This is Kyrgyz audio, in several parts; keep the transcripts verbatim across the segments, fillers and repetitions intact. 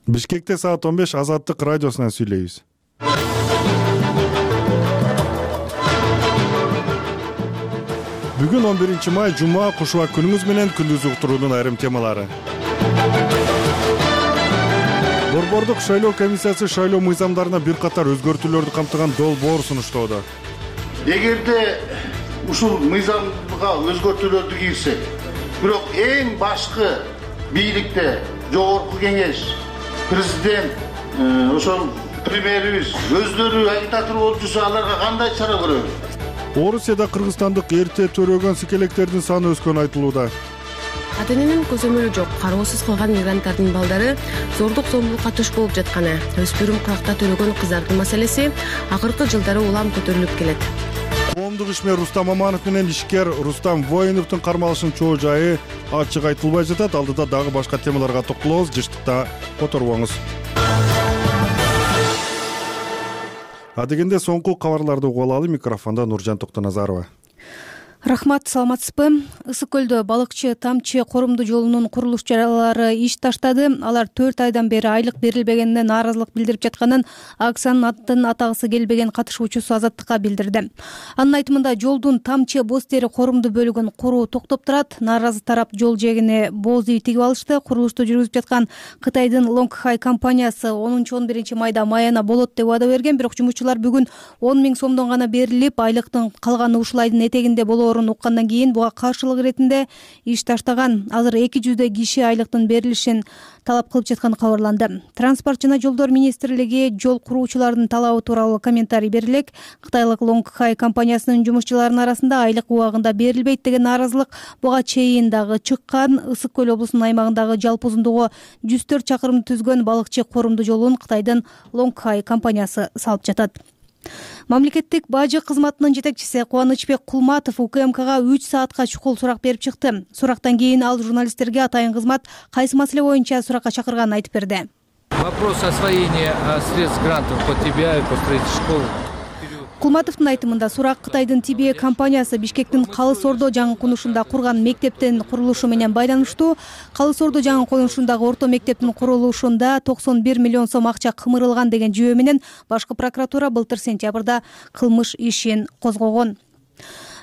Бишкекте саат он беш Азаттык радиосунан сүйлөйбүз. Бүгүн он биринчи май жума, кушуба күнүңүз менен күндүз уктуруунун айрым темалары. Борбордук шайлоо комиссиясы шайлоо мыйзамдарына бир катар өзгөртүүлөрдү камтыган долбоор сунуштоодо. Эгерде ушул мыйзамга өзгөртүүлөрдү кирсек, бирок эң башкы бийликте жогорку кеңеш, президент, ошол премьерибиз өздөрү агитатор болуп жүрсө, аларга кандай чара көрөбүз? Орусияда кыргызстандык эрте төрөгөн скелектердин саны өскөнү айтылууда. Ата-эненин көзөмөлү жок, кароосуз калган мигранттардын балдары зордук зомбулукка туш болуп жатканы, өспүрүм куракта төрөгөн кыздардын маселеси акыркы жылдары улам көтөрүлүп келет. Коомдук ишмер Рустам Аманов менен ишкер Рустам Воиновдун кармалышынын чоо жайы ачык айтылбай жатат. Алдыда дагы башка темаларга токтолобуз. Жыштыкта которбоңуз. Адегенде соңку кабарларды угуп алалы. Микрофондо Нуржан Токтоназарова. Рахмат, саламатсызбы? Ысык көлдө балыкчы Тамчы корумду жолунун курулушчулары иш таштады. Алар төрт айдан бери айлык берилбегенине нааразылык билдирип жатканын Аксанын атын атагысы келбеген катышуучусу Азаттыкка билдирди. Анын айтымында жолдун Тамчы боз тери корумду бөлүгүн куруу токтоп турат. Нааразы тарап жол жээгине боз үй тигип алышты. Курулушту жүргүзүп жаткан Кытайдын Лонгхай компаниясы онунчу он биринчи майда маяна болот деп убада берген, бирок жумушчулар бүгүн он миң сомдон гана берилип, айлыктын калганы ушул айдын этегинде болоо уккандан кийин буга каршылык иретинде иш таштаган. Азыр эки жүздөй киши айлыктын берилишин талап кылып жатканы кабарланды. Транспорт жана жолдор министрлиги жол куруучулардын талабы тууралуу комментарий берилек. Кытайлык Лонгхай компаниясынын жумушчуларынын арасында айлык убагында берилбейт деген нааразылык буга чейин дагы чыккан. Ысык көл облусунун аймагындагы жалпы узундугу жүз төрт чакырым түзгөн балыкчы корумду жолун Кытайдын Лонгхай компаниясы салып жатат. Мамлекеттик бажы кызматынын жетекчиси Кубанычбек Кулматов УКМКга үч саатка чукул сурак берип чыкты. Сурактан кийин ал журналисттерге атайын кызмат кайсы маселе боюнча суракка чакырганын айтып берди. Вопрос освоения средств грантов по Ти Би Ай, по строительству школ. Кулматовдун айтымында сурак Кытайдын Ти Би Ай компаниясы Бишкектин Калыс Ордо жаңы конушунда курган мектептин курулушу менен байланыштуу. Калыс Ордо жаңы конушундагы орто мектептин курулушунда токсон бир миллион сом акча кымырылган деген жүйө менен башкы прокуратура былтыр сентябрда кылмыш ишин козгогон.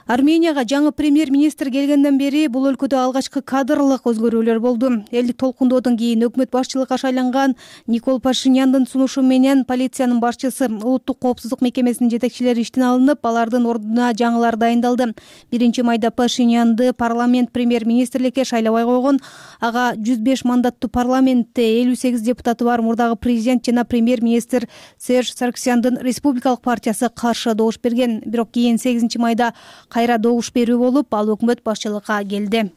Арменияга жаңы премьер-министр келгенден бери бул өлкөдө алгачкы кадрлык өзгөрүүлөр болду. Элдик толкундоодон кийин өкмөт башчылыкка шайланган Никол Пашиняндын сунушу менен полициянын башчысы, улуттук коопсуздук мекемесинин жетекчилери иштен алынып, алардын ордуна жаңылар дайындалды. Биринчи майда Пашинянды парламент премьер-министрликке шайлабай койгон. Ага жүз беш мандаттуу парламентте элүү сегиз депутаты бар мурдагы президент жана премьер-министр Серж Сарксяндын республикалык партиясы каршы добуш берген. Бирок кийин сегизинчи майда кайра добуш берүү болуп, ал өкмөт башчылыкка келди.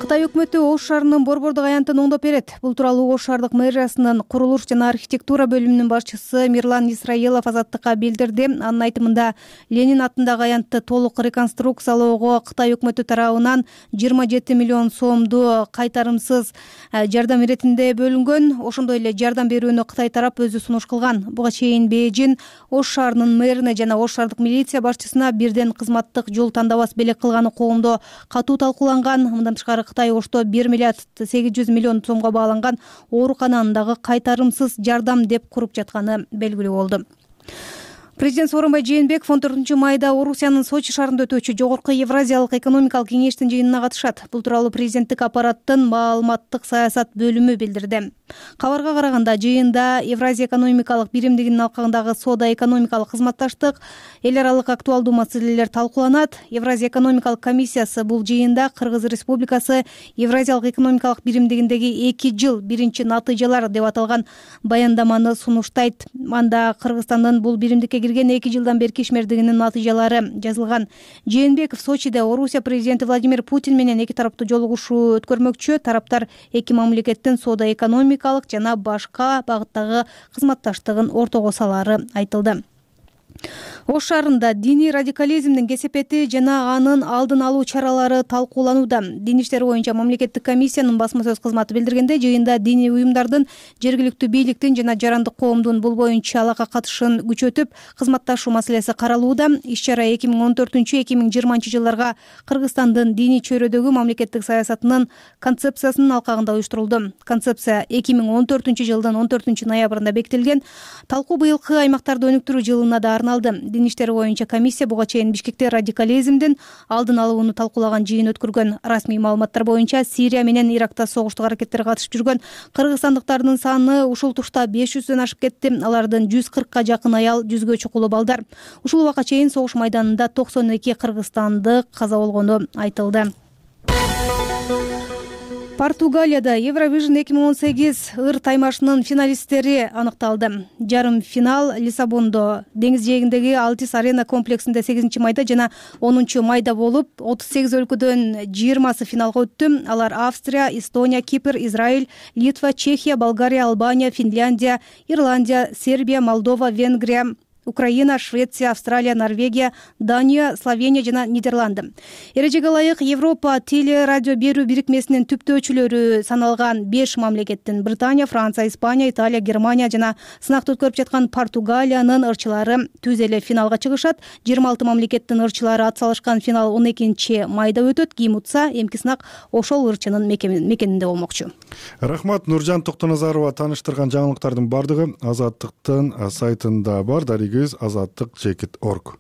Кытай өкмөтү Ош шаарынын борбордук аянтын оңдоп берет. Бул тууралуу Ош шаардык мэриясынын курулуш жана архитектура бөлүмүнүн башчысы Мирлан Исраилов Азаттыкка билдирди. Анын айтымында Ленин атындагы аянтты толук реконструкциялоого Кытай өкмөтү тарабынан жыйырма жети миллион сомду кайтарымсыз жардам иретинде бөлүнгөн. Ошондой эле жардам берүүнү Кытай тарап өзү сунуш кылган. Буга чейин Бейжин Ош шаарынын мэрине жана Ош шаардык милиция башчысына бирден кызматтык жол тандабас белек кылганы коомдо катуу талкууланган. Мындан тышкары Кытай Ошто бир миллиард сегиз жүз миллион сомго бааланган оорукананы дагы кайтарымсыз жардам деп куруп жатканы белгилүү болду. Президент Сооронбай Жээнбеков он төртүнчү майда Орусиянын Сочи шаарында өтүүчү Жогорку Евразиялык экономикалык кеңештин жыйынына катышат. Бул тууралуу президенттик аппараттын маалыматтык саясат бөлүмү билдирди. Кабарга караганда жыйында Евразия экономикалык биримдигинин алкагындагы соода-экономикалык кызматташтык, эл аралык актуалдуу маселелер талкууланат. Евразия экономикалык комиссиясы бул жыйында Кыргыз Республикасы Евразиялык экономикалык биримдигиндеги эки жыл биринчи натыйжалар деп аталган баяндаманы сунуштайт. Анда Кыргызстандын бул биримдикке кирген эки жылдан берки ишмердигинин натыйжалары жазылган. Жээнбеков Сочиде Орусия президенти Владимир Путин менен эки тараптуу жолугушуу өткөрмөкчү. Тараптар эки мамлекеттин соода-экономикалык жана башка багыттагы кызматташтыгын ортого салаары айтылды. Ош шаарында диний радикализмдин кесепети жана анын алдын алуу чаралары талкууланууда. Диний иштер боюнча мамлекеттик комиссиянын басма сөз кызматы билдиргенде, жыйында диний уюмдардын, жергиликтүү бийликтин жана жарандык коомдун бул боюнча алака катышын күчөтүп, кызматташуу маселеси каралууда. Иш-чара эки миң он төртүнчү эки миң жыйырманчы жылдарга Кыргызстандын диний чөйрөдөгү мамлекеттик саясатынын концепциясынын алкагында уюштурулду. Концепция эки миң он төртүнчү жылдын он төртүнчү ноябрында бекитилген. Талкуу быйылкы аймактарды өнүктүрүү жылына да арналды. Дин иштери боюнча комиссия буга чейин Бишкекте радикализмдин алдын алууну талкуулаган жыйын өткөргөн. Расмий маалыматтар боюнча Сирия менен Иракта согуштук аракеттерге катышып жүргөн кыргызстандыктардын саны ушул тушта беш жүздөн ашып кетти. Алардын жүз кыркка жакын аял, жүзгө чукулу балдар. Ушул убакка чейин согуш майданында токсон эки кыргызстандык каза болгону айтылды. Португалияда Евровижн эки миң он сегиз ыр таймашынын финалисттери аныкталды. Жарым финал Лиссабондо деңиз жээгиндеги Алтис Арена комплексинде сегизинчи майда жана онунчу майда болуп, отуз сегиз өлкөдөн жыйырмасы финалга өттү. Алар Австрия, Эстония, Кипр, Израиль, Литва, Чехия, Болгария, Албания, Финляндия, Ирландия, Сербия, Молдова, Венгрия, Украина, Швеция, Австралия, Норвегия, Дания, Словения жана Нидерланды. Эрежеге ылайык Европа теле радио берүү бирикмесинин түптөөчүлөрү саналган беш мамлекеттин Британия, Франция, Испания, Италия, Германия жана сынакты өткөрүп жаткан Португалиянын ырчылары түз эле финалга чыгышат. жыйырма алты мамлекеттин ырчылары ат салышкан финал он экинчи майда өтөт. Кийим утса, эмки сынак ошол ырчынын мекенинде болмокчу. Рахмат. Нуржан Токтоназарова тааныштырган жаңылыктардын бардыгы Азаттыктын сайтында бар. азаттык чекит орг.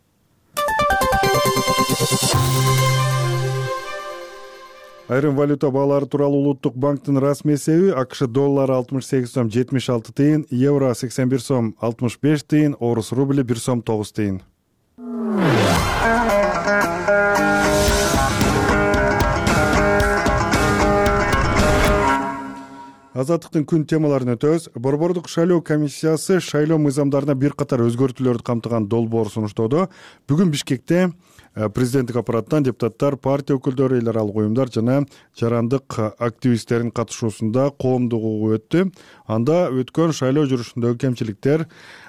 Айрым валюта баалары тууралуу Улуттук банктын расмий эсеби: АКШ доллары алтымыш сегиз сом жетимиш алты тыйын, евро сексен бир сом алтымыш беш тыйын, орус рубли бир сом тогуз тыйын. Азаттыктын күн темаларын өтөбүз. Борбордук шайлоо комиссиясы шайлоо мыйзамдарына бир катар өзгөртүүлөрдү камтыган долбоор сунуштоодо. Бүгүн Бишкекте президенттик аппараттан депутаттар, партия өкүлдөрү, эл аралык уюмдар жана жарандык активисттердин катышуусунда коомдук угуу өттү. Анда өткөн шайлоо жүрүшүндөгү кемчиликтер,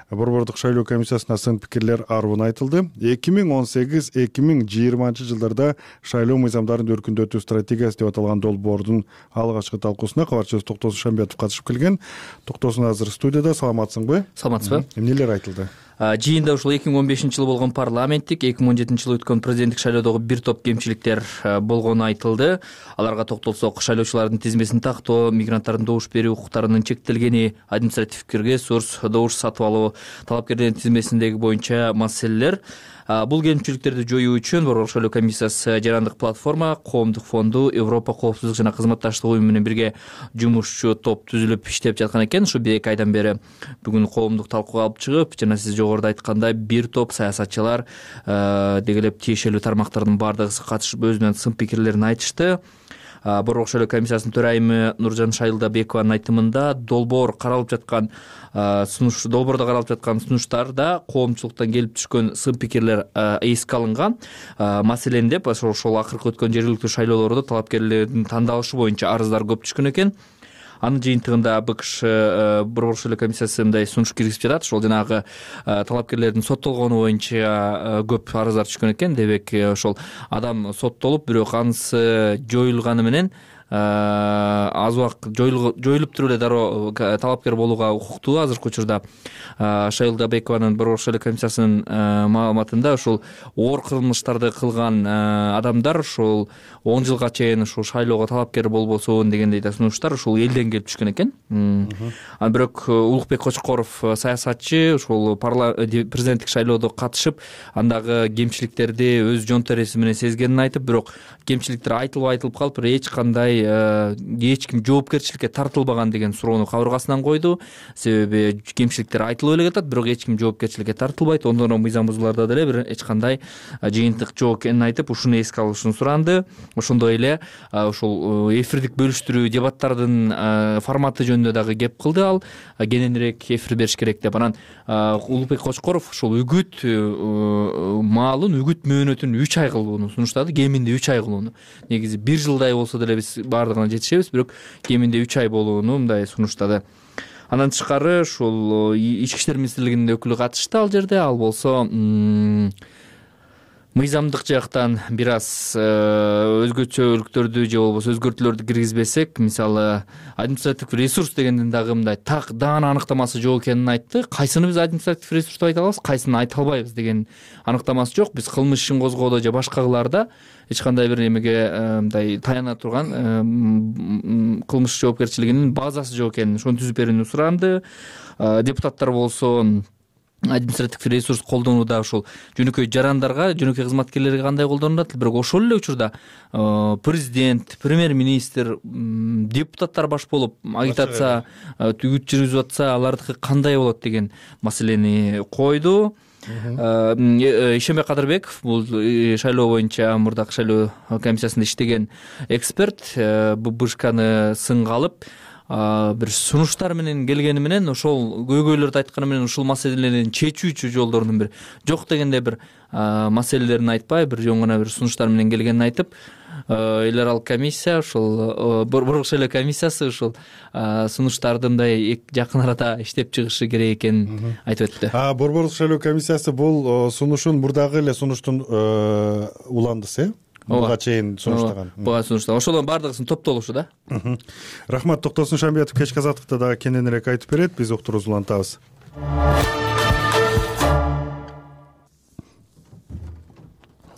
борбордук шайлоо комиссиясына сын пикирлер арбын айтылды. эки миң он сегиз эки миң жыйырманчы жылдарда шайлоо мыйзамдарын өркүндөтүү стратегиясы деп аталган долбоордун алгачкы талкуусуна кабарчыбыз Токтосун Шамбетов катышып келген. Токтосун азыр студияда. Саламатсыңбы? Саламатсызбы? Эмнелер айтылды? Жыйында ушул эки миң он бешинчи жылы болгон парламенттик, эки миң он жетинчи жылы өткөн президенттик шайлоодогу бир топ кемчиликтер болгону айтылды. Аларга токтолсок, шайлоочулардын тизмесин тактоо, мигранттардын добуш берүү укуктарынын чектелгени, административдик ресурс, добуш сатып алуу, талапкерлердин тизмесиндеги боюнча маселелер. Бул кемчиликтерди жоюу үчүн Борбордук шайлоо комиссиясы жарандык платформа, коомдук фонду, Европа коопсуздук жана кызматташтык уюму менен бирге жумушчу топ түзүлүп иштеп жаткан экен. Ушу бир эки айдан бери бүгүн коомдук талкууга алып чыгып, жана сиз жогоруда айткандай бир топ саясатчылар деги эле тиешелүү тармактардын баардыгы катышып өзүнүн сын пикирлерин айтышты. Борбордук шайлоо комиссиясынын төрайымы Нуржан Шайылдабекованын айтымында, долбоор каралып жаткан сунуш долбоордо каралып жаткан сунуштарда коомчулуктан келип түшкөн сын пикирлер эске алынган. Маселен деп ошол акыркы өткөн жергиликтүү шайлоолордо талапкерлердин тандалышы боюнча арыздар көп түшкөн экен. Анын жыйынтыгында БКШ Борбордук шайлоо комиссиясы мындай сунуш киргизип жатат. Ошол жанагы талапкерлердин соттолгону боюнча көп арыздар түшкөн экен. Демек, ошол адам соттолуп, бирок анысы жоюлганы менен аз убакыт жоюлуп туруп эле дароо талапкер болууга укуктуу. Азыркы учурда Шайылдабекованын Борбордук шайлоо комиссиясынын маалыматында ушул оор кылмыштарды кылган адамдар ушул он жылга чейин ушул шайлоого талапкер болбосун дегендей да сунуштар ушул элден келип түшкөн экен. Анан бирок Улукбек Кочкоров саясатчы ушул президенттик шайлоодо катышып, андагы кемчиликтерди өз жон тереси менен сезгенин айтып, бирок кемчиликтер айтылып айтылып калып, эч кандай эч ким жоопкерчиликке тартылбаган деген суроону кабыргасынан койду. Себеби кемчиликтер айтылып эле жатат, бирок эч ким жоопкерчиликке тартылбайт. Ондон мыйзам бузууларда деле бир эч кандай жыйынтык жок экенин айтып, ушуну эске алышын суранды. Ошондой эле ушул эфирдик бөлүштүрүү дебаттардын форматы жөнүндө дагы кеп кылды ал. Кененирээк эфир бериш керек деп. Анан Улукбек Кочкоров ушул үгүт маалын, үгүт мөөнөтүн үч ай кылууну сунуштады. Кеминде үч ай кылууну. Негизи бир жылдай болсо деле биз баардыгына жетишебиз, бирок кеминде үч ай болууну мындай сунуштады. Андан тышкары ушул ички иштер министрлигинин өкүлү катышты ал жерде. Ал болсо мыйзамдык жактан бир аз өзгөчөлүктөрдү же болбосо өзгөртүүлөрдү киргизбесек, мисалы административдик ресурс дегенден дагы мындай так даана аныктамасы жок экенин айтты. Кайсыны биз административдик ресурс деп айта алабыз, кайсыны айта албайбыз деген аныктамасы жок. Биз кылмыш ишин козгоодо же башкаларда эч кандай бир эмеге мындай таяна турган кылмыш жоопкерчилигинин базасы жок экенин ошону түзүп берүүнү суранды. Депутаттар болсо административдик ресурс колдонууда ушул жөнөкөй жарандарга, жөнөкөй кызматкерлерге кандай колдонулат, бирок ошол эле учурда президент, премьер-министр, депутаттар баш болуп агитация түгүт жүргүзүп атса, алардыкы кандай болот деген маселени койду. Ишенбек Кадырбеков, бул шайлоо боюнча мурдакы шайлоо комиссиясында иштеген эксперт, ББШКны сынга алып бир сунуштар менен келгени менен, ошол көйгөйлөрдү айтканы менен ушул маселелерин чечүүчү жолдорунун бир жок дегенде бир маселелерин айтпай, бир жөн гана бир сунуштар менен келгенин айтып, эл аралык комиссия, ушул борбордук шайлоо комиссиясы ушул сунуштарды мындай жакын арада иштеп чыгышы керек экенин айтып өттү. А борбордук шайлоо комиссиясы бул сунушун мурдагы эле сунуштун уландысы, буга чейин сунуштаган. Буга сунуштаган. Ошолордун бардыгысын топтолушу да. Рахмат. Токтосун Шамбиятов кечки азаттыкта дагы кененирээк айтып берет. Биз уктуруубузду улантабыз.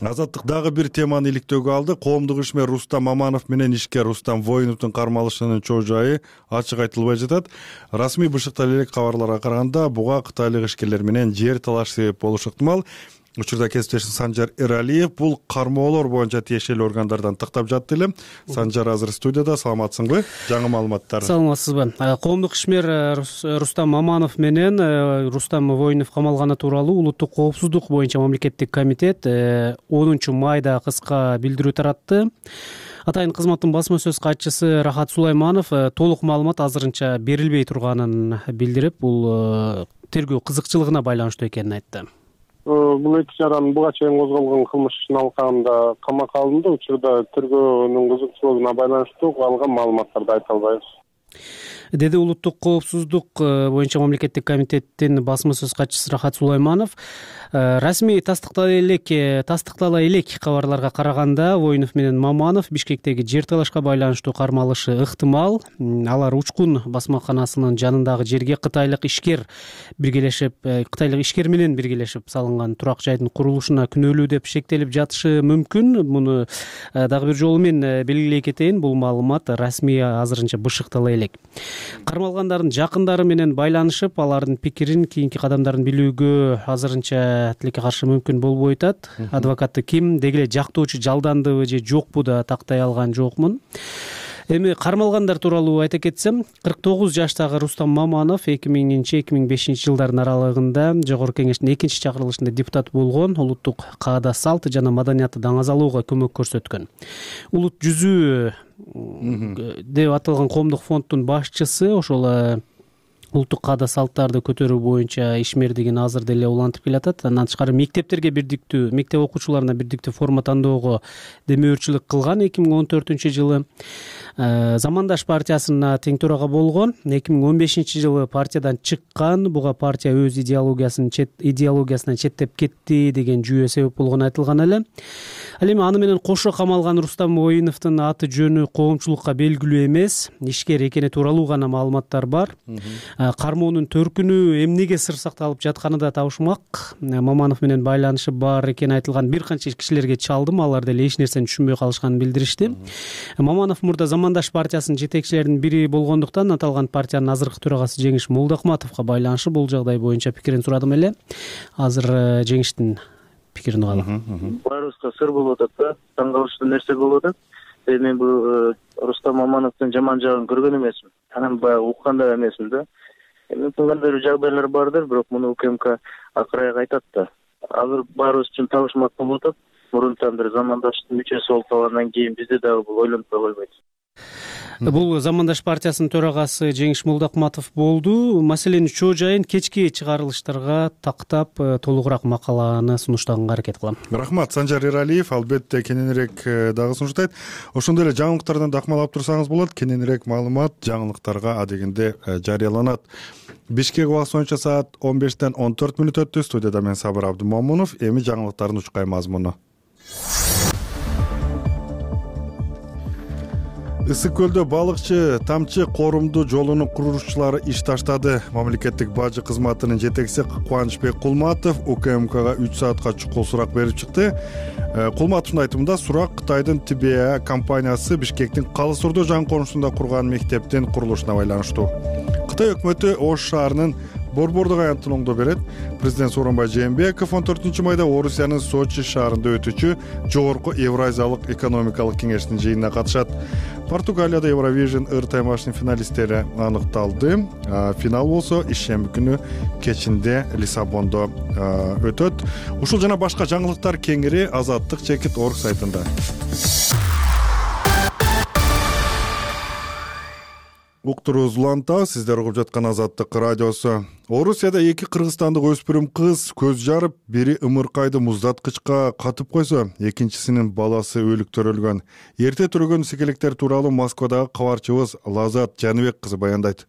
Азаттык дагы бир теманы иликтөөгө алды. Коомдук ишмер Рустам Маманов менен ишкер Рустам Воиновдун кармалышынын чоо жайы ачык айтылбай жатат. Расмий бышыкталып элек кабарларга караганда, буга кытайлык ишкерлер менен жер талаш себеп болушу ыктымал. Учурда кесиптешим Санжар Эралиев бул кармоолор боюнча тиешелүү органдардан тактап жатты эле. Санжар азыр студияда. Саламатсыңбы? Жаңы маалыматтар. Саламатсызбы? Коомдук ишмер Рустам Маманов менен Рустам Воинов камалганы тууралуу улуттук коопсуздук боюнча мамлекеттик комитет онунчу майда кыска билдирүү таратты. Атайын кызматтын басма сөз катчысы Рахат Сулайманов толук маалымат азырынча берилбей турганын билдирип, бул тергөө кызыкчылыгына байланыштуу экенин айтты. Бул эки жаран буга чейин козголгон кылмыш ишин алкагында камакка алынды. Учурда тергөөнүн кызыкчылыгына байланыштуу алган маалыматтарды айта албайбыз, деди улуттук коопсуздук боюнча мамлекеттик комитеттин басма сөз катчысы Рахат Сулайманов. Расмий тастыктала элек тастыктала элек кабарларга караганда, Воинов менен Маманов Бишкектеги жер талашка байланыштуу кармалышы ыктымал. Алар Учкун басмаканасынын жанындагы жерге кытайлык ишкер биргелешип, кытайлык ишкер менен биргелешип салынган турак жайдын курулушуна күнөөлүү деп шектелип жатышы мүмкүн. Муну дагы бир жолу мен белгилей кетейин, бул маалымат расмий азырынча бышыктала элек. Кармалгандардын жакындары менен байланышып, алардын пикирин, кийинки кадамдарын билүүгө азырынча тилекке каршы мүмкүн болбой атат. Адвокаты ким, деги эле жактоочу жалдандыбы же жокпу да тактай алган жокмун. Эми кармалгандар тууралуу айта кетсем, кырк тогуз жаштагы Рустам Маманов эки миңинчи эки миң бешинчи жылдардын аралыгында Жогорку кеңештин экинчи чакырылышында депутат болгон, улуттук каада салт жана маданиятты даңазалоого көмөк көрсөткөн. Улут жүзүү деп аталган коомдук фонддун башчысы, ошол улуттук каада салттарды көтөрүү боюнча ишмердигин азыр деле улантып келатат. Андан тышкары мектептерге бирдиктүү, мектеп окуучуларына бирдиктүү форма тандоого демөөрчүлүк кылган эки миң он төртүнчү жылы. Замандаш партиясына тең төрага болгон. эки миң он бешинчи жылы партиядан чыккан. Буга партия өз идеологиясын чет идеологиясынан четтеп кетти деген жүйө себеп болгону айтылган эле. Ал эми аны менен кошо камалган Рустам Воиновдун аты жөнү коомчулукка белгилүү эмес, ишкер экени тууралуу гана маалыматтар бар. Кармоонун төркүнү эмнеге сыр сакталып жатканы да табышмак. Маманов менен байланышы бар экени айтылган бир канча кишилерге чалдым, алар деле эч нерсени түшүнбөй калышканын билдиришти. Маманов мурда Замандаш партиясынын жетекчилеринин бири болгондуктан аталган партиянын азыркы төрагасы Жеңиш Молдохматовго байланышы бул жагдай боюнча пикирин сурадым эле. Азыр Жеңиштин пикирин угалы. Баарыбызга сыр болуп атат да, таң калыштуу нерсе болуп атат. Мен бул Рустам Мамановдун жаман жагын көргөн эмесмин. Анан баягы уккан да эмесмин да. Мүмкүн кандай бир жагдайлар бардыр, бирок муну УКМК акыраяк айтат да. Азыр баарыбыз үчүн табышмак болуп атат. Мурунтан бир замандаштын мүчөсү болуп калгандан кийин бизде дагы бул ойлонуп койбойт. Бул Замандаш партиясынын төрагасы Жеңиш Молдокматов болду. Маселенин чоо жайын кечки чыгарылыштарга тактап толугураак макаланы сунуштаганга аракет кылам. Рахмат, Санжар Эралиев албетте кененирээк дагы сунуштайт. Ошондой эле жаңылыктардан дакмалап турсаңыз болот. Кененирээк маалымат жаңылыктарга адегенде жарыяланат. Бишкек убакыты боюнча саат он бештен он төрт мүнөт өттү. Студияда мен Сабыр Абдымомунов. Эми жаңылыктардын учкай мазмуну. Ысык көлдө балыкчы Тамчы корумду жолунун курушчулары иш таштады. Мамлекеттик бажы кызматынын жетекчиси Кубанычбек Кулматов УКМКга үч саатка чукул сурак берип чыкты. Кулматовдун айтымында сурак Кытайдын Тибеа компаниясы Бишкектин Калыс Ордо жан конушунда курган мектептин курулушуна байланыштуу. Кытай өкмөтү Ош шаарынын Борбордук аянтын оңдоо берет. Президент Сооронбай Жээнбеков он төртүнчү майда Орусиянын Сочи шаарында өтүүчү жогорку Евразиялык экономикалык кеңештин жыйынына катышат. Португалияда Евровижн ыр таймашынын финалисттери аныкталды. Финал болсо ишемби күнү кечинде Лиссабондо өтөт. Ушул жана башка жаңылыктар кеңири Азаттык чекит точка орг сайтында. Уктурубуз улантабыз, сиздер угуп жаткан Азаттык радиосу. Орусияда эки кыргызстандык өспүрүм кыз көз жарып, бири ымыркайды муздаткычка катып койсо, экинчисинин баласы өлүктөрүлгөн. Эрте түрөгөн секелектер тууралуу Москвадагы кабарчыбыз Лазат Жаныбек кызы баяндайт.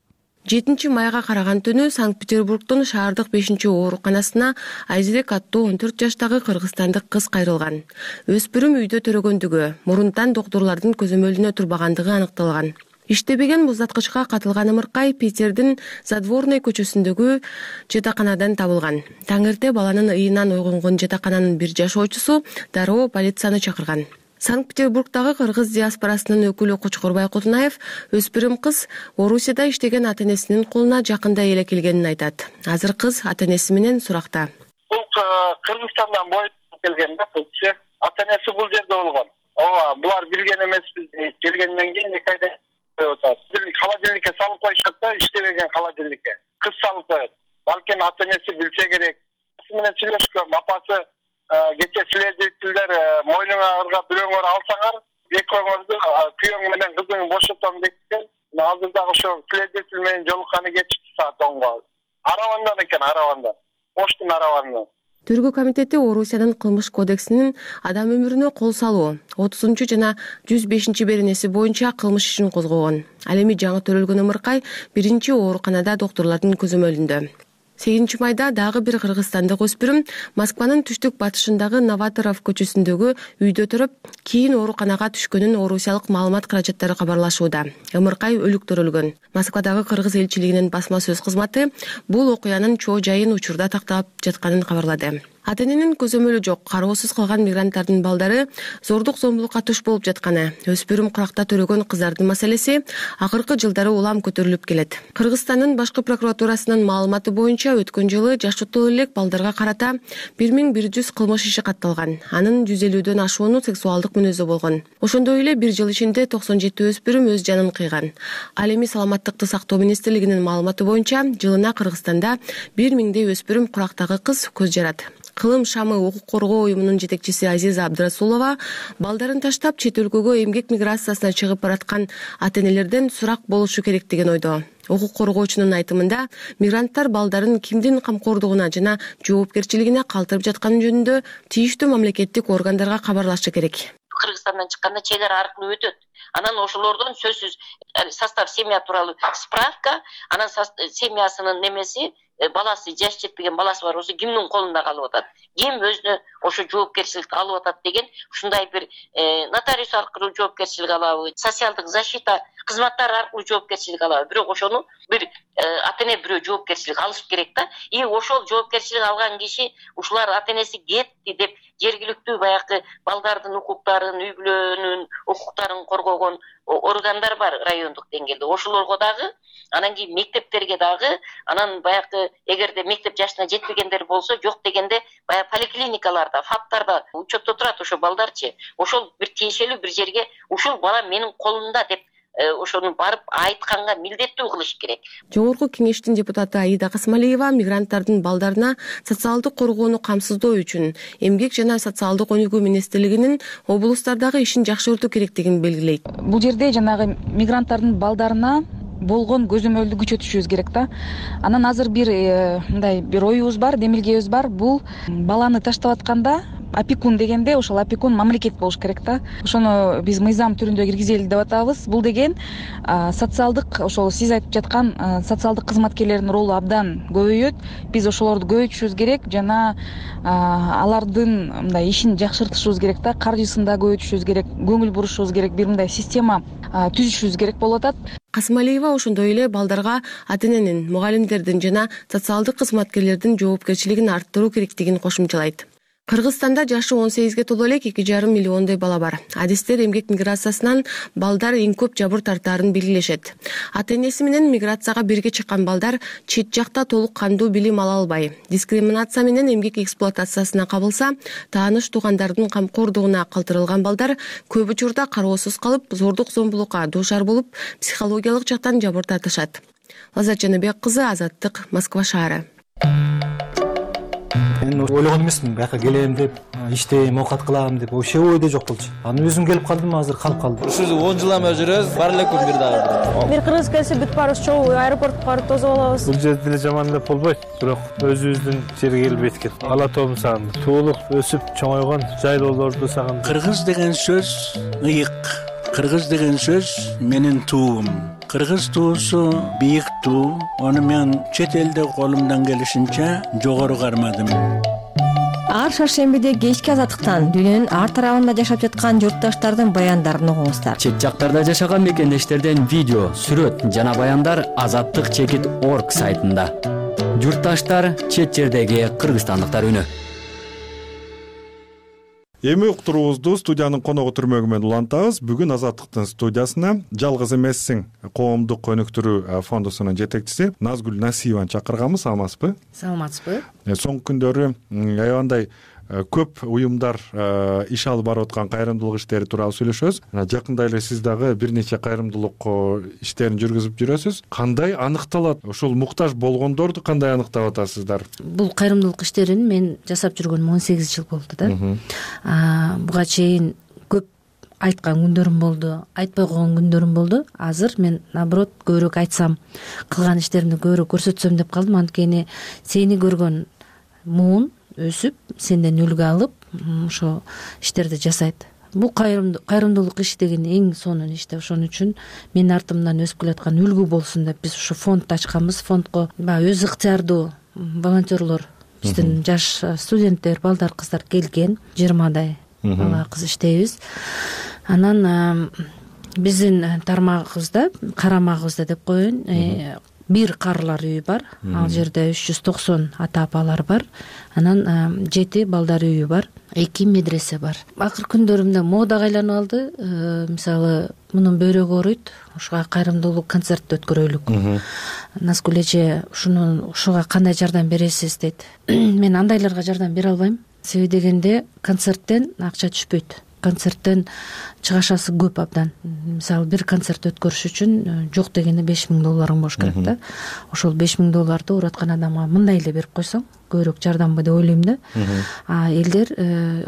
жетинчи майга караган түнү Санкт-Петербургдун шаардык бешинчи ооруканасына Айзерек аттуу он төрт жаштагы кыргызстандык кыз кайрылган. Өспүрүм үйдө төрөгөндүгү, мурунтан доктурлардын көзөмөлүнө турбагандыгы аныкталган. Иштебеген муздаткычка катылган ымыркай Питердин Задворный көчөсүндөгү жатаканадан табылган. Таңерте баланын ыйынан ойгонгон жатакананын бир жашоочусу дароо полицияны чакырган. Санкт-Петербургдагы кыргыз диаспорасынын өкүлү Кочкорбай Кутунаев өспүрүм кыз Орусияда иштеген ата-энесинин колуна жакында эле келгенин айтат. Азыр кыз ата-энеси менен суракта. Бул Кыргызстандан боюп келген да, ата-энеси бул жерде болгон. Ооба, булар билген эмеспиз, келгенден кийин эки айда холодильникке салып коюшат да, иштебеген холодильникке. Кыз салып коет. Балким ата-энеси билсе керек. Сиз менен сүйлөшкөм, апасы кече следовательдер мойнуңарга бирөөңөр алсаңар, экөөңөрдү күйөөң менен кызыңды бошотом депкен. Азыр дагы ошо следователь менен жолукканы кечки саат онго. Аравандан экен, аравандан. Оштун аравандан. Тергөө комитети Орусиянын кылмыш кодексинин адам өмүрүнө кол салуу отузунчу жана жүз бешинчи беренеси боюнча кылмыш ишин козгогон. Ал эми жаңы төрөлгөн ымыркай биринчи ооруканада доктурлардын көзөмөлүндө. сегизинчи майда дагы бир кыргызстандык өспүрүм Москванын түштүк батышындагы Новаторов көчөсүндөгү үйдө туруп, кийин ооруканага түшкөнүн орусиялык маалымат каражаттары кабарлашууда. Ымыркай өлүктөрүлгөн. Москвадагы кыргыз элчилигинин басма сөз кызматы бул окуянын чоо жайын учурда тактап жатканын кабарлады. Ата-эненин көзөмөлү жок, кароосуз калган мигранттардын балдары зордук зомбулукка туш болуп жатканы, өспүрүм куракта төрөгөн кыздардын маселеси акыркы жылдары улам көтөрүлүп келет. Кыргызстандын башкы прокуратурасынын маалыматы боюнча өткөн жылы жашоотуу элек балдарга карата бир миң бир жүз кылмыш иши катталган. Анын жүз элүүдөн ашууну сексуалдык мүнөздө болгон. Ошондой эле бир жыл ичинде токсон жети өспүрүм өз жанын кыйган. Ал эми саламаттыкты сактоо министрлигинин маалыматы боюнча жылына Кыргызстанда бир миңдей өспүрүм курактагы кыз көз жарат. Кылым шамы укук коргоо уюмунун жетекчиси Азиза Абдрасулова балдарын таштап чет өлкөгө эмгек миграциясына чыгып бараткан ата-энелерден сурак болушу керек деген ойдо. Укук коргоочунун айтымында, мигранттар балдарын кимдин камкордугуна жана жоопкерчилигине калтырып жатканы жөнүндө тийиштүү мамлекеттик органдарга кабарлашы керек. Кыргызстандан чыкканда чек ара аркылуу өтөт. Анан ошолордон сөзсүз состав семья тууралуу справка, анан семьясынын немеси, баласы жаш жетпеген баласы бар болсо кимдин колунда калып атат, ким өзүнө ошо жоопкерчиликти алып атат деген ушундай бир нотариус аркылуу жоопкерчилик алабы, социалдык защита кызматтары аркылуу жоопкерчилик алабы. Бирок ошону бир ата-эне бирөө жоопкерчилик алыш керек да. И ошол жоопкерчилик алган киши ушулар ата-энеси кетти деп жергиликтүү баягы балдардын укуктарын, үй бүлөнүн укуктарын коргогон органдар бар райондук деңгээлде. Ошолорго дагы, анан кийин мектептерге дагы, анан баягы эгерде мектеп жашына жетпегендер болсо, жок дегенде баягы поликлиникаларда, фаптарда учетто турат ошо балдарчы. Ошол бир тиешелүү бир жерге ушул бала менин колумда деп ошону барып айтканга милдеттүү кылыш керек. Жогорку кеңештин депутаты Аида Касмалиева мигранттардын балдарына социалдык коргоону камсыздоо үчүн эмгек жана социалдык өнүгүү министрлигинин облустардагы ишин жакшыртуу керектигин белгилейт. Бул жерде жанагы мигранттардын балдарына болгон көзөмөлдү күчөтүшүбүз керек да. Анан азыр бир мындай бир оюбуз бар, демилгебиз бар. Бул баланы таштап атканда опекун дегенде ошол опекун мамлекет болуш керек да. Ошону биз мыйзам түрүндө киргизели деп атабыз. Бул деген социалдык, ошол сиз айтып жаткан социалдык кызматкерлердин ролу абдан көбөйөт. Биз ошолорду көбөйтүшүбүз керек жана алардын мындай ишин жакшыртышыбыз керек да, каржысын да көбөйтүшүбүз керек, көңүл бурушубуз керек, бир мындай система түзүшүбүз керек болуп атат. Касмалиева ошондой эле балдарга ата-эненин, мугалимдердин жана социалдык кызматкерлердин жоопкерчилигин арттыруу керектигин кошумчалайт. Кыргызстанда жашы он сегизге толо элек эки жарым миллиондой бала бар. Адистер эмгек миграциясынан балдар эң көп жабыр тартаарын белгилешет. Ата-энеси менен миграцияга бирге чыккан балдар чет жакта толук кандуу билим ала албай, дискриминация менен эмгек эксплуатациясына кабылса, тааныш туугандардын камкордугуна калтырылган балдар көп учурда кароосуз калып, зордук зомбулукка дуушар болуп, психологиялык жактан жабыр тартышат. Лаззат Жаныбек кызы, Азаттык, Москва шаары. Мен ойлогон эмесмин, бияка келем деп, иштейм, оокат кылам деп, вообще ойдо жок болчу. Анан өзүм келип калдым, азыр калып калдым. Ушул он жылдан бери жүрөбүз, бар элекпи бир дагы. Бир кыргыз келсе бүт баарыбыз чогуу аэропортко барып тосуп алабыз. Бул жерде деле жаман деп болбойт, бирок өзүбүздүн жерге келбейт экен. Ала тоом сагынды. Туулук өсүп чоңойгон жайлоолорду сагынды. Кыргыз деген сөз ыйык. Кыргыз деген сөз менин туум. Кыргыз туусу бийик туу. Аны мен чет элде колумдан келишинче жогору кармадым. Ар шаршембиде кечки Азаттыктан дүйнөнүн ар тарабында жашап жаткан журтташтардын баяндарын угуңуздар. Чет жактарда жашаган мекендештерден видео, сүрөт жана баяндар азаттык чекит точка орг сайтында. Журтташтар, чет жердеги кыргызстандыктар үнү. Эми уктуруубузду студиянын коногу түрмөгү менен улантабыз. Бүгүн Азаттыктын студиясына жалгыз эмессиң коомдук өнүктүрүү фондусунун жетекчиси Назгүл Насиеваны чакырганбыз. Саламатсызбы? Саламатсызбы. Соңку күндөрү аябандай көп уюмдар иш алып барып аткан кайрымдуулук иштери тууралуу сүйлөшөбүз. Жакында эле сиз дагы бир нече кайрымдуулук иштерин жүргүзүп жүрөсүз. Кандай анықталат? Ошол муктаж болгондорду кандай аныктап атасыздар? Бул кайрымдуулук иштерин мен жасап жүргөнүм он сегиз жыл болду да. Буга чейин көп айткан күндөрүм болду, айтпай койгон күндөрүм болду. Азыр мен наоборот көбүрөөк айтсам, кылган иштеримди көбүрөөк көрсөтсөм деп калдым. Анткени сени көргөн муун өсүп, сенден үлгү алып, ошо иштерди жасайт. Бул кайрымдуулук иш деген эң сонун иш да. Ошон үчүн менин артымдан өсүп келаткан үлгү болсун деп биз ушу фонд ачканбыз. Фондко баягы өз ыктыярдуу волонтерлор, биздин жаш студенттер, балдар, кыздар келген, жыйырмадай бала кыз иштейбиз. Анан биздин тармагыбызда, карамагыбызда деп коеюн, бир карылар үйү бар. Ал жерде үч жүз токсон ата апалар бар. Анан жети балдар үйү бар. эки медресе бар. Акыркы күндөрүмдө модага айланып алды. Мисалы, мунун бөйрөгү ооруйт. Ушуга кайрымдуулук концерт өткөрөлүк. Назгүл эже, ушуну ушуга кандай жардам бересиз дейт. Мен андайларга жардам бере албайм. Себеби дегенде концерттен акча түшпөйт. Концерттен чыгашасы көп абдан. Мисалы, бир концерт өткөрүш үчүн жок дегенде беш миң долларың болуш керек да. Ошол беш миң долларды ураткан адамга мындай эле берип койсоң, көбүрөөк жардамбы деп ойлойм да. А элдер,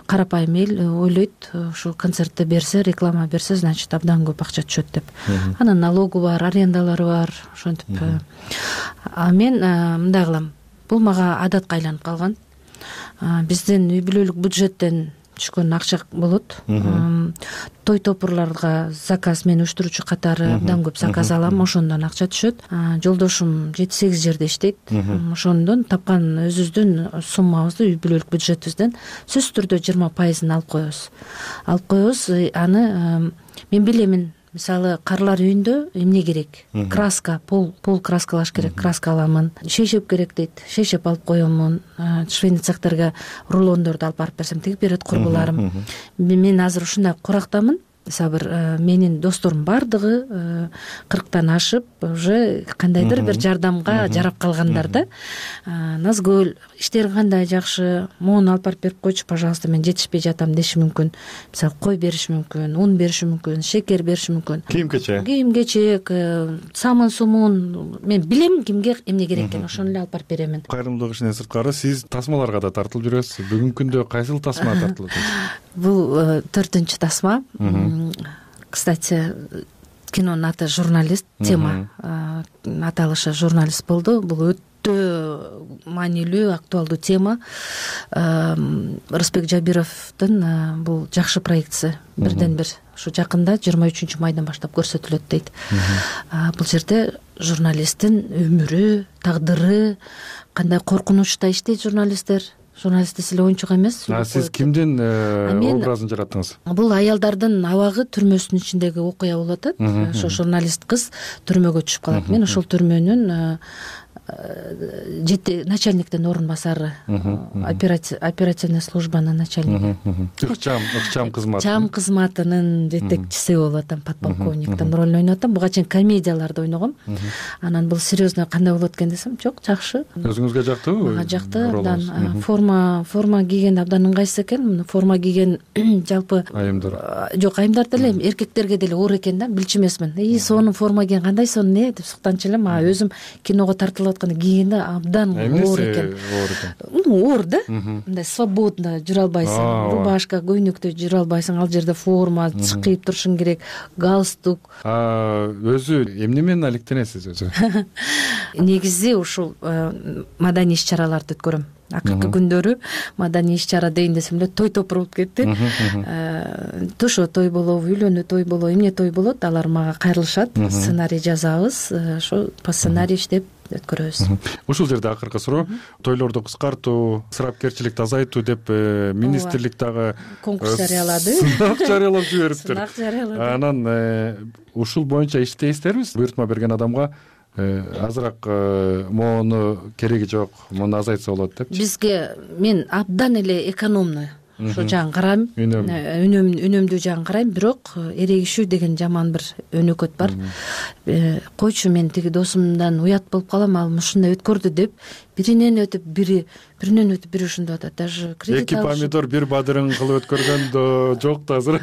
карапайым эл ойлойт, ушул концертте берсе, реклама берсе, значит абдан көп акча түшөт деп. Анан налогу бар, арендалары бар, ошентип. А мен мындай кылам. Бул мага адатка айланып калган. Биздин үй бүлөлүк бюджеттен түшкөн акча болот. Той топурларга заказ, мен уюштуруучу катары абдан көп заказ алам, ошондон акча түшөт. Жолдошум жети сегиз жерде иштейт. Ошондон тапкан өзүбүздүн суммабызды, үй бүлөлүк бюджетибизден сөзсүз түрдө жыйырма пайызын алып коебуз. Алып коебуз. Аны мен билемин. Мисалы, карлар үйүндө эмне керек? Краска, пол, пол краскалаш керек, краска аламын. Шейшеп керек дейт, шейшеп алып коемун. Швейный цехтерге рулондорду алып барып берсем, тигип берет курбуларым. Мен азыр ушундай курактамын. мисалы бир менин досторумдун баардыгы кырктан ашып уже кандайдыр бир жардамга жарап калгандар да. Назгүл иштериң кандай жакшы, моуну алып барып берип койчу, пожалуйста, мен жетишпей жатам деши мүмкүн. Мисалы кой бериши мүмкүн, ун бериши мүмкүн, шекер бериши мүмкүн. Кийим-кечек. Кийим-кечек, самын сумун, мен билем кимге эмне керек экенин, ошону эле алып барып беремин. Кайрымдуулук ишинен сырткары сиз тасмаларга да тартылып жүрөсүз. Бүгүнкү күндө кайсыл тасма тартылып атасыз? Бул төртүнчү тасма. Кстати, кинонун аты «Журналист», тема аталышы «Журналист» болду. Бул өтө маанилүү, актуалдуу тема. Рысбек Жабировдун бул жакшы проектиси. Бирден бир ушу жакында жыйырма үчүнчү майдан баштап көрсөтүлөт дейт. Бул жерде журналисттин өмүрү, тагдыры, кандай коркунучта иштейт журналисттер. Журналист десе эле оюнчук эмес. Сиз кимдин образын жараттыңыз? Бул аялдардын абагы түрмөсүнүн ичиндеги окуя болуп атат. Ошо журналист кыз түрмөгө түшүп калат. Мен ошол түрмөнүн жети начальниктин орун басары, оперативный службанын начальниги. Ыкчам, ыкчам кызмат. Ыкчам кызматынын жетекчиси болуп атам, подполковниктин ролун ойноп атам. Буга чейин комедияларды ойногом. Анан бул серьезно кандай болот экен десем, жок, жакшы. Өзүңүзгө жактыбы? Мага жакты. Абдан форма, форма кийген абдан ыңгайсыз экен. Форма кийген жалпы айымдар. Жок, айымдар деле эркектерге деле оор экен да, билчү эмесмин. И сонун форма кийген кандай сонун э деп суктанчу элем. А өзүм киного тартылып кийгенде абдан оор экен. Оор да, мындай свободно жүрө албайсың, рубашка, көйнөктө жүрө албайсың, ал жерде форма, чыкып турушуң керек, галстук. Өзү эмне менен алектенесиз өзү? Негизи ушул маданий иш-чараларды өткөрөм. Акыркы күндөрү маданий иш-чара дейин десем эле той топур болуп кетти. Тошо той болобу, үйлөнүү той болобу, эмне той болот, алар мага кайрылышат, сценарий жазабыз, ошо по сценарий иштеп өткөрөбүз. Ушул жерде акыркы суроо, тойлорду кыскартуу, ысырапкерчиликти азайтуу деп министрлик дагы конкурс жарыялады. Сынак жарыялап жибериптир. Сынак жарыялады. Анан ушул боюнча иштейсиздерби? Буйртма берген адамга азыраак моуну кереги жок, муну азайтса болот деп. Бизге мен абдан эле экономный ошо жагын карайм, үнөмдүү жагын карайм, бирок эрегишүү деген жаман бир өнөкөт бар. Койчу, мен тиги досумдан уят болуп калам, ал ушундай өткөрдү деп, биринен өтүп бири, биринен өтүп бири ушундай атат. Даже кредит алып. Эки помидор бир бадырын кылып өткөргөн жок да азыр.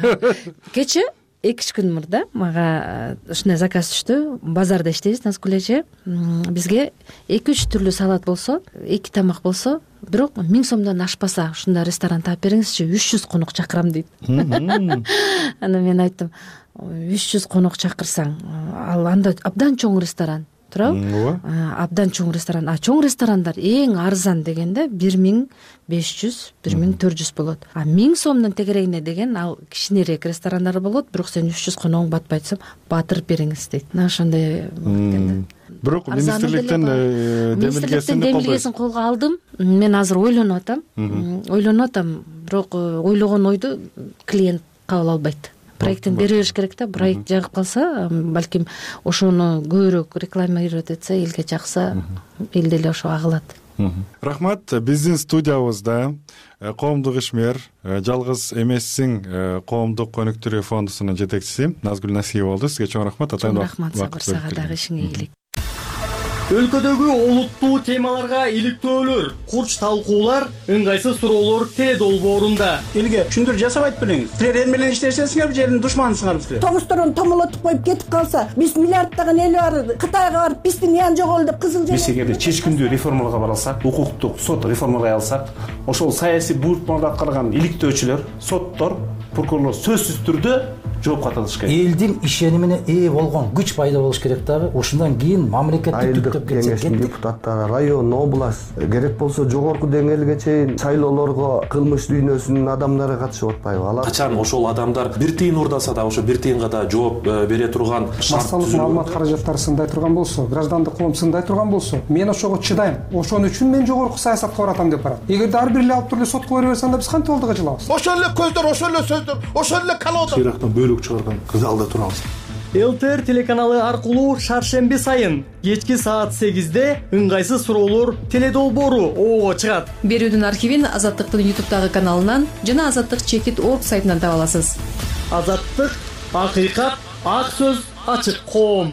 Кече эки үч күн мурда мага ушундай заказ түштү. Базарда иштейбиз, Назгүл эже. Бизге эки үч түрлүү салат болсо, эки тамак болсо, бирок миң сомдон ашпаса, ушундай ресторан таап бериңизчи, үч жүз конок чакырам дейт. Анан мен айттым, үч жүз конок чакырсаң, ал анда абдан чоң ресторан. Туурабы? Абдан чоң ресторан. А чоң ресторандар эң арзан дегенде бир миң беш жүз, бир миң төрт жүз болот. А миң сомдун тегерегине деген ал кичинерээк ресторандар болот, бирок сен үч жүз коногуң батпайт десем, батырып бериңиз дейт. Мына ошондой болот экен да. Бирок министрликтен демилгесин демилгесин колго алдым. Мен азыр ойлонуп атам. Ойлонуп атам, бирок ойлогон ойду клиент кабыл албайт. Проектин бере бериш керек да. Проект жагып калса, балким ошону көбүрөөк рекламировать этсе, элге жакса, эл деле ошо агылат. Рахмат. Биздин студиябызда коомдук ишмер, жалгыз эмессиң коомдук өнүктүрүү фондусунун жетекчиси Назгүл Насиева болду. Сизге чоң рахмат. Чоң рахмат, Сабыр, сага дагы ишиңе ийгилик. Өлкөдөгү олуттуу темаларга иликтөөлөр, курч талкуулар, ыңгайсыз суроолор теле долбоорунда. Элге түшүндүрүү жасап айтып бериңиз. Силер эл менен иштешесиңерби, жердин душманысыңарбы силер? Тогусторун томолотуп коюп кетип калса, биз миллиарддаган эл бар, Кытайга барып биздин ян жоголду деп кызыл жерде. Биз эгерде чечкиндүү реформаларга бара алсак, укуктук сот реформалай алсак, ошол саясий буйртмаларды аткарган иликтөөчүлөр, соттор, прокурорлор сөзсүз түрдө жоопко тартылыш керек. Элдин ишенимине ээ болгон күч пайда болуш керек дагы. Ошондон кийин мамлекетти түптөп кетсек, депутаттары, район, область, керек болсо жогорку деңгээлге чейин шайлоолорго кылмыш дүйнөсүнүн адамдары катышып атпайбы? Алар качан ошол адамдар бир тыйын уурдаса да, ошо бир тыйынга да жооп бере турган массалык маалымат каражаттары сындай турган болсо, граждандык коом сындай турган болсо, мен ошого чыдайм. Ошон үчүн мен жогорку саясатка баратам деп барат. Эгерде ар бир эле алып туруп эле сотко бере берсе, анда биз кантип алдыга жылабыз? Ошол эле көздөр, ошол эле сөздөр, ошол эле колода. Ирактан бөлүк чыгарган залда турабыз. ЛТР телеканалы аркылуу шаршемби сайын кечки саат сегизде ыңгайсыз суроолор теле долбоору оого чыгат. Берүүдүн архивин Азаттыктын ютубтагы каналынан жана Азаттык чекит орг сайтынан таба аласыз. Азаттык акыйкат, ак сөз, ачык коом.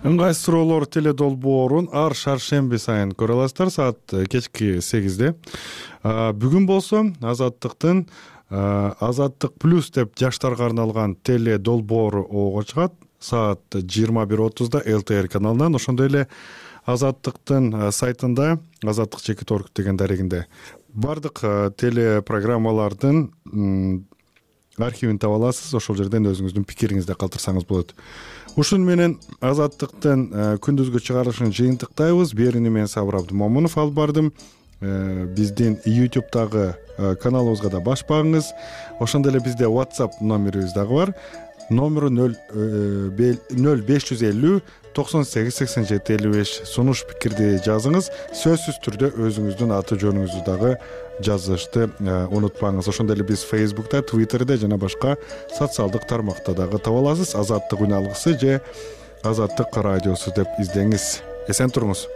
Ыңгайсыз суроолор теле долбоорун ар шаршемби сайын көрө аласыздар саат кечки сегизде. Бүгүн болсо Азаттыктын Азаттык плюс деп жаштарга арналган теле долбоору ого чыгат саат жыйырма бир отузда эл тэ эр каналынан. Ошондой эле Азаттыктын сайтында азаттык чекит орг деген дарегинде бардык телепрограммалардын архивин таба аласыз. Ошол жерден өзүңүздүн пикириңизди калтырсаңыз болот. Ушун менен Азаттыктын күндүзгү чыгарылышын жыйынтыктайбыз. Берүүнү мен Сабыр Абдымомунов алып бардым. Биздин ютубтагы каналыбызга да баш багыңыз. Ошондой эле бизде WhatsApp номерибиз дагы бар. Номеру нөл беш жүз элүү токсон сегиз сексен жети элүү беш. Сунуш пикирди жазыңыз. Сөзсүз түрдө өзүңүздүн аты жөнүңүздү дагы жазышты унутпаңыз. Ошондой эле биз Facebook'та, Twitter'де жана башка социалдык тармакта дагы таба аласыз. Азаттык үн алгысы же Азаттык радиосу деп издеңиз. Эсен туруңуз.